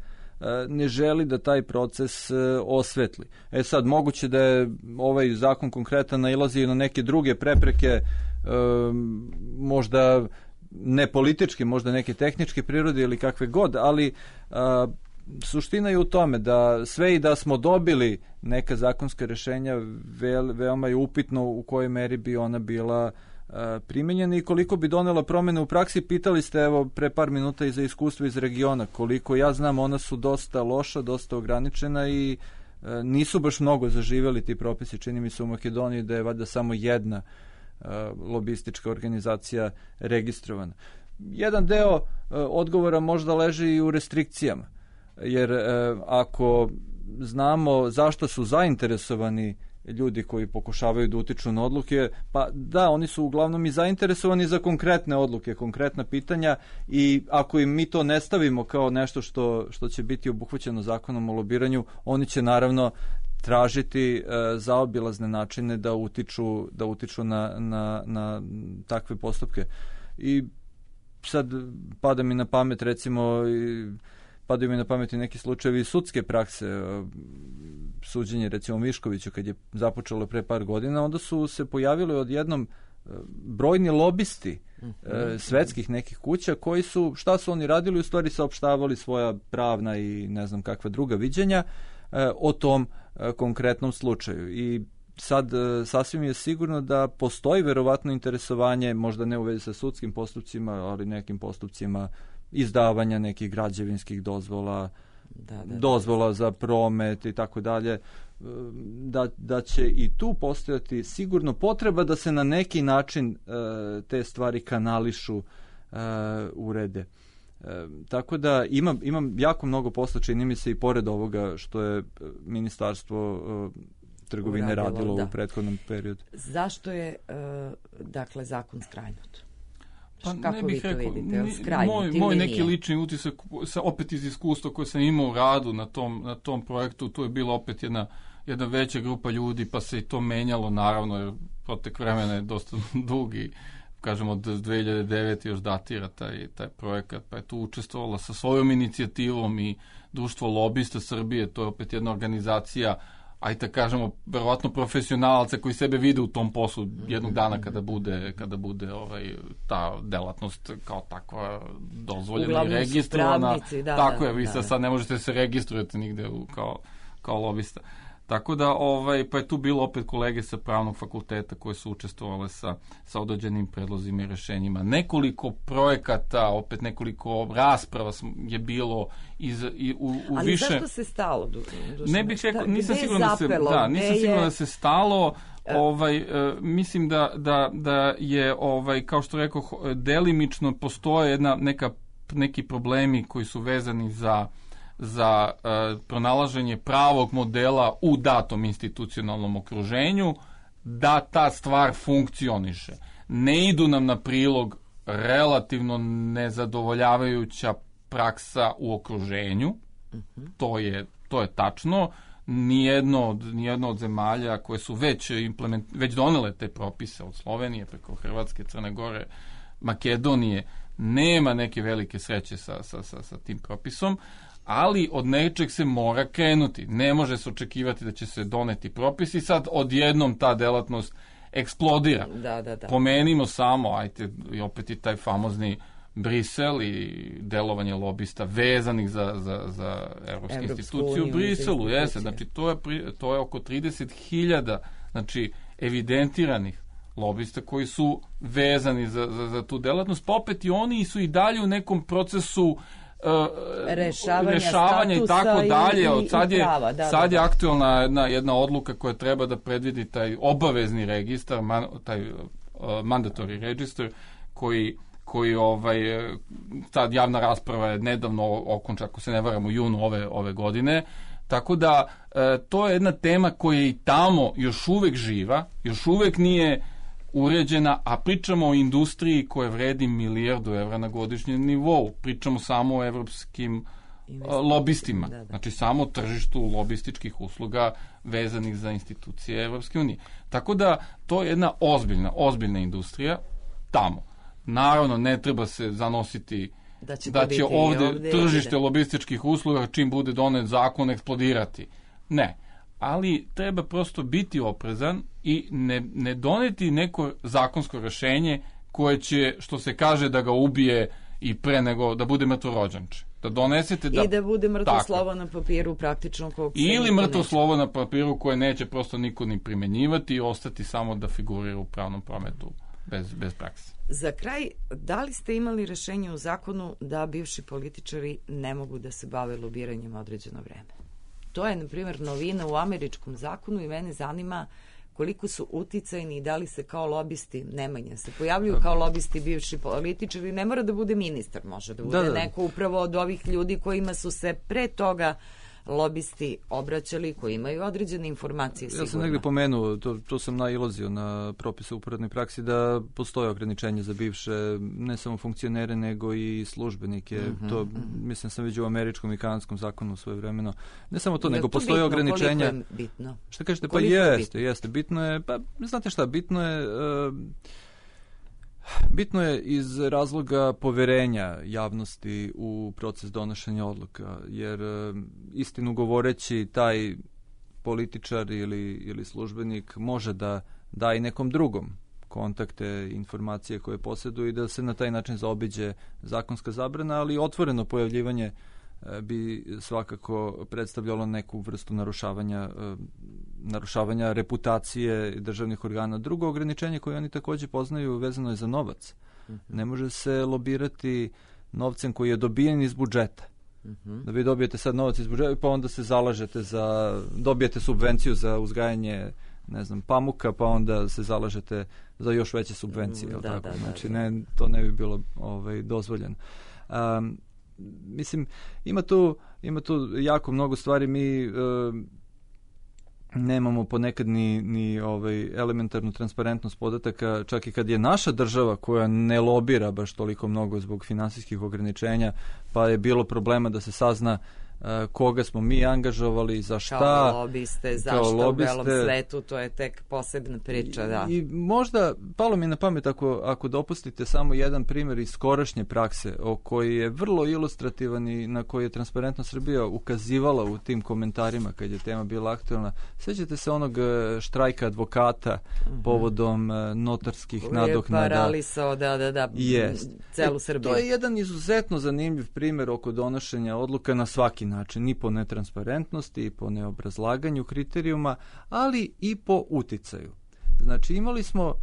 ne želi da taj proces osvetli. Sad, moguće da je ovaj zakon konkretan nailazi na neke druge prepreke, možda ne političke, možda neke tehničke prirode ili kakve god, ali suština je u tome da sve i da smo dobili neka zakonska rešenja, veoma je upitno u kojoj meri bi ona bila primenjena i koliko bi donela promene u praksi. Pitali ste evo pre par minuta i za iskustvo iz regiona. Koliko ja znam, ona su dosta loša, dosta ograničena i nisu baš mnogo zaživeli ti propisi. Čini mi se u Makedoniji da je valjda samo jedna lobistička organizacija registrovana. Jedan deo odgovora možda leži i u restrikcijama, jer ako znamo zašto su zainteresovani ljudi koji pokušavaju da utiču na odluke, pa da, oni su uglavnom i zainteresovani za konkretne odluke, konkretna pitanja i ako im mi to ne stavimo kao nešto što će biti obuhvaćeno zakonom o lobiranju, oni će naravno tražiti zaobilazne načine da utiču na takve postupke. I sad padaju mi na pamet i neki slučajevi sudske prakse, suđenje recimo Miškoviću kad je započelo pre par godina, onda su se pojavili odjednom brojni lobisti svetskih nekih kuća koji su, šta su oni radili, u stvari saopštavali svoja pravna i ne znam kakva druga viđenja o tom konkretnom slučaju. I sad sasvim je sigurno da postoji verovatno interesovanje, možda ne u vezi sa sudskim postupcima, ali nekim postupcima izdavanja nekih građevinskih dozvola, dozvola za promet i tako dalje, da će i tu postojati sigurno potreba da se na neki način te stvari kanališu, urede. Tako da imam jako mnogo posla, čini mi se, i pored ovoga što je Ministarstvo trgovine radilo u prethodnom periodu. Zašto je dakle zakon skrajnut? Pa kako ne bih vi to rekao, vidite? Moj neki lični utisak, opet iz iskustva koje sam imao u radu na tom projektu, tu je bila opet jedna veća grupa ljudi, pa se i to menjalo, naravno, jer protek vremena je dosta dugi, kažemo od 2009. još datira taj projekat, pa je tu učestvovala sa svojom inicijativom i Društvo lobista Srbije, to je opet jedna organizacija, ajde da kažemo, verovatno profesionalaca koji sebe vide u tom poslu jednog dana kada bude ta delatnost kao takva dozvoljena. Uglavnom i registrovana. Pravnici, tako je, vi sad ne možete se registrujete nigde kao lobista. Tako da, pa je tu bilo opet kolege sa pravnog fakulteta koje su učestvovale sa određenim predlozima i rešenjima. Nekoliko projekata, opet nekoliko rasprava je bilo u ali više... Ali zašto se stalo? Ne bih rekao, nisam siguran da se stalo. Mislim da je, kao što rekao, delimično postoje neki problemi koji su vezani za pronalaženje pravog modela u datom institucionalnom okruženju, da ta stvar funkcioniše. Ne idu nam na prilog relativno nezadovoljavajuća praksa u okruženju, to je tačno. Nijedno od zemalja koje su već donele te propise, od Slovenije preko Hrvatske, Crne Gore, Makedonije, nema neke velike sreće sa tim propisom, ali od nečeg se mora krenuti. Ne može se očekivati da će se doneti propis i sad odjednom ta delatnost eksplodira. Da. Pomenimo samo, i opet i taj famozni Brisel i delovanje lobista vezanih za evropske institucije u Briselu. Jeste, znači to je oko 30.000 znači evidentiranih lobista koji su vezani za tu delatnost, pa opet i oni su i dalje u nekom procesu rešavanja i tako dalje. Sad je aktualna jedna odluka koja treba da predvidi taj obavezni registar, taj mandatory register, koji sad javna rasprava je nedavno okončana, ako se ne varam, u junu ove godine. Tako da to je jedna tema koja je i tamo još uvek živa, još uvek nije uređena, a pričamo o industriji koja vredi €1 milijardu na godišnjem nivou. Pričamo samo o evropskim lobistima. Da. Znači samo o tržištu lobističkih usluga vezanih za institucije Evropske unije. Tako da to je jedna ozbiljna industrija tamo. Naravno, ne treba se zanositi da će ovde tržište lobističkih usluga čim bude donet zakon eksplodirati. Ne. Ali treba prosto biti oprezan i ne doneti neko zakonsko rešenje koje će, što se kaže, da ga ubije i pre nego da bude mrtvorođenče. Da donesete i da bude mrtvo slovo na papiru praktično ili mrtvo slovo na papiru koje neće prosto niko ni primenjivati i ostati samo da figurira u pravnom prometu bez prakse. Za kraj, da li ste imali rešenje u zakonu da bivši političari ne mogu da se bave lobiranjem određeno vreme? To je, na primjer, novina u američkom zakonu i mene zanima koliko su uticajni i da li se kao lobisti, Nemanja, se pojavljuju kao lobisti bivši političari, ne mora da bude ministar, može da bude neko upravo od ovih ljudi kojima su se pre toga lobisti obraćali, koji imaju određene informacije sigurno. Ja sam negdje pomenuo, to sam nailazio na propise u uporednoj praksi, da postoje ograničenje za bivše, ne samo funkcionere, nego i službenike. To, mislim, sam vidio u američkom i kanadskom zakonu svoje vremeno. Ne samo to, nego postoje ograničenja. Koliko je bitno? Šta kažete? Pa jeste. Bitno je, pa znate šta, bitno je iz razloga poverenja javnosti u proces donošenja odluka, jer istinu govoreći taj političar ili službenik može da da i nekom drugom kontakte, informacije koje posjeduju i da se na taj način zaobiđe zakonska zabrana, ali otvoreno pojavljivanje bi svakako predstavljalo neku vrstu narušavanja reputacije državnih organa. Drugo ograničenje koje oni također poznaju vezano je za novac. Ne može se lobirati novcem koji je dobijen iz budžeta. Da vi dobijete sad novac iz budžeta pa onda se zalažete dobijete subvenciju za uzgajanje pamuka, pa onda se zalažete za još veće subvencije. Znači, to ne bi bilo dozvoljeno. Mislim, ima tu jako mnogo stvari. Mi nemamo ponekad ni elementarnu transparentnost podataka, čak i kad je naša država koja ne lobira baš toliko mnogo zbog finansijskih ograničenja, pa je bilo problema da se sazna koga smo mi angažovali, za šta. Kao lobiste, zašto u belom svetu, to je tek posebna priča, da. I možda, palo mi na pamet, ako dopustite samo jedan primjer iz skorašnje prakse, o koji je vrlo ilustrativan i na koji je Transparentno Srbija ukazivala u tim komentarima kad je tema bila aktualna. Sjećate se onog štrajka advokata povodom notarskih nadoknada? Paralisao, da, celu Srbiju. To je jedan izuzetno zanimljiv primjer oko donošenja odluka na svaki način, ni po netransparentnosti, i po neobrazlaganju kriterijuma, ali i po uticaju. Znači, imali smo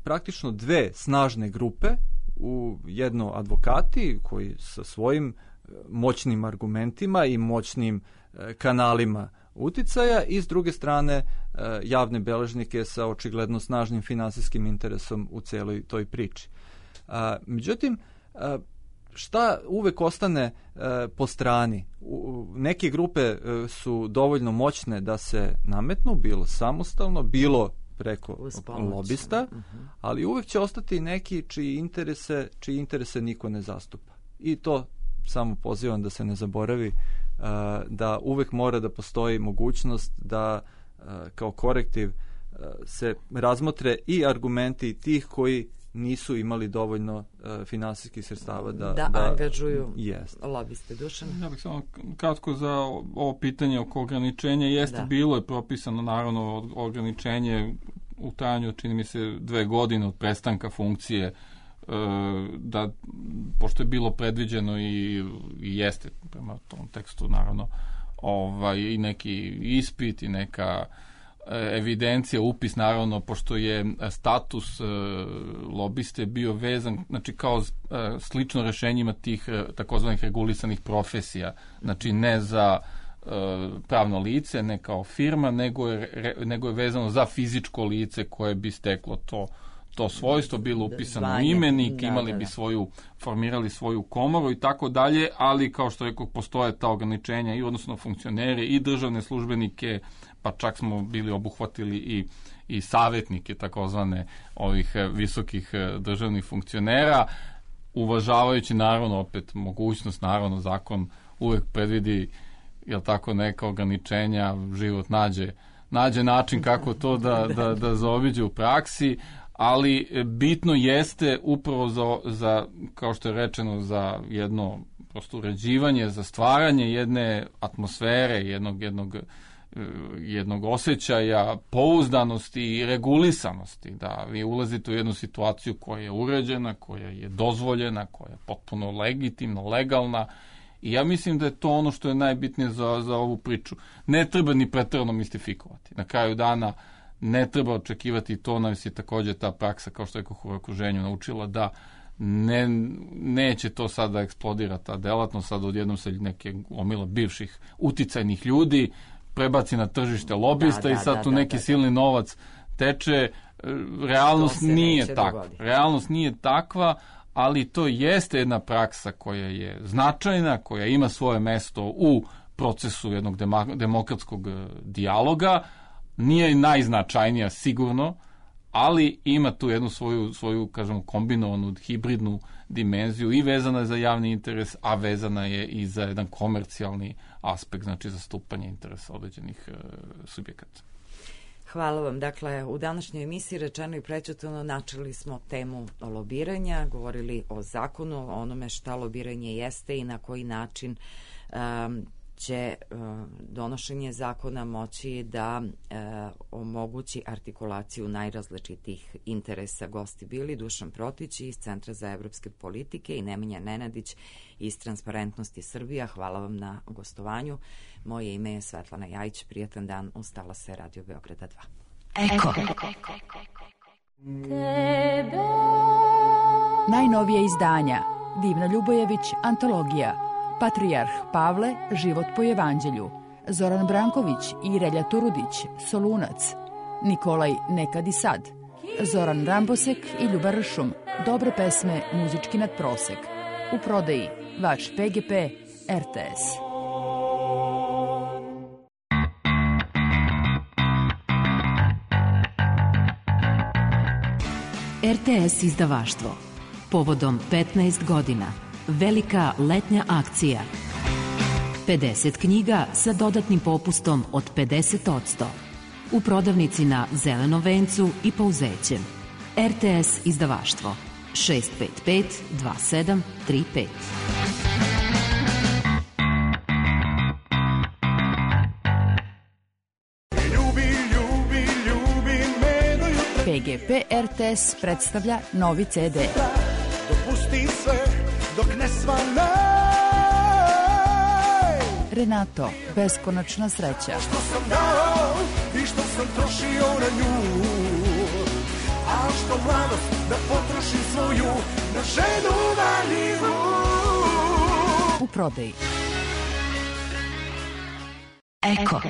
praktično dve snažne grupe, jedno advokati koji sa svojim moćnim argumentima i moćnim kanalima uticaja, i s druge strane javne beležnike sa očigledno snažnim finansijskim interesom u celoj toj priči. Međutim, šta uvek ostane po strani? Neke grupe su dovoljno moćne da se nametnu, bilo samostalno, bilo preko lobista, ali uvek će ostati neki čiji interese niko ne zastupa. I to samo pozivam da se ne zaboravi, da uvek mora da postoji mogućnost da kao korektiv se razmotre i argumenti tih koji nisu imali dovoljno finansijskih sredstava da angažuju lobiste. Dušan? Ja bih samo kratko za ovo pitanje oko ograničenja. Bilo je propisano naravno ograničenje u trajanju, čini mi se, 2 godine od prestanka funkcije, da, pošto je bilo predviđeno i jeste prema tom tekstu naravno i neki ispit i neka evidencija, upis naravno, pošto je status lobiste bio vezan, znači kao slično rešenjima tih takozvanih regulisanih profesija, znači ne za pravno lice, ne kao firma, nego je vezano za fizičko lice koje bi steklo to svojstvo, bilo upisano u imenik, formirali svoju komoru i tako dalje, ali kao što rekao, postoje ta ograničenja i odnosno na funkcionere i državne službenike, pa čak smo bili obuhvatili i savjetnike takozvane ovih visokih državnih funkcionera, uvažavajući naravno opet mogućnost, naravno zakon uvek predvidi, jel tako, neka ograničenja, život nađe način kako to da zaobiđe u praksi, ali bitno jeste upravo za, kao što je rečeno, za jedno prosto uređivanje, za stvaranje jedne atmosfere, jednog osjećaja pouzdanosti i regulisanosti, da vi ulazite u jednu situaciju koja je uređena, koja je dozvoljena, koja je potpuno legitimna, legalna, i ja mislim da je to ono što je najbitnije za ovu priču. Ne treba ni preterano mistifikovati. Na kraju dana ne treba očekivati, to nas je također ta praksa, kao što je u okruženju naučila, da neće to sad da eksplodira ta delatnost, sad odjednom se neke omila bivših uticajnih ljudi prebaci na tržište lobista i sad tu neki silni novac teče. Realnost nije takva. Realnost nije takva, ali to jeste jedna praksa koja je značajna, koja ima svoje mesto u procesu jednog demokratskog dijaloga. Nije najznačajnija sigurno, ali ima tu jednu svoju kažemo, kombinovanu hibridnu dimenziju i vezana je za javni interes, a vezana je i za jedan komercijalni aspekt, znači zastupanje interesa određenih subjekata. Hvala vam. Dakle, u današnjoj emisiji rečeno i prećutano načeli smo temu lobiranja, govorili o zakonu, o onome šta lobiranje jeste i na koji način će donošenje zakona moći da omogući artikulaciju najrazličitih interesa. Gosti bili Dušan Protić iz Centra za evropske politike i Nemanja Nenadić iz Transparentnosti Srbija. Hvala vam na gostovanju. Moje ime je Svetlana Jajić. Prijatan dan uz talase Radio Beograda 2. Eko. Najnovije izdanja Divna Ljubojević, antologija. Patrijarh Pavle, život po evanđelju. Zoran Branković i Relja Turudić, Solunac. Nikolaj Nekad i sad. Zoran Rambosek i Ljuba Ršum, dobre pesme, muzički nadprosek. U prodaji vaš PGP RTS. RTS izdavaštvo. Povodom 15 godina. Velika letnja akcija. 50 knjiga sa dodatnim popustom od 50%. U prodavnici na Zelenom vencu i Pouzećem. RTS izdavaštvo 655 2735. PGP RTS predstavlja novi CD. Dopusti sve dok ne svane. Renato, beskonačna sreća. Što sam dao i što sam trošio na nju, a što mladost da potrošim svoju na ženu valiju. U prodaji. Eko.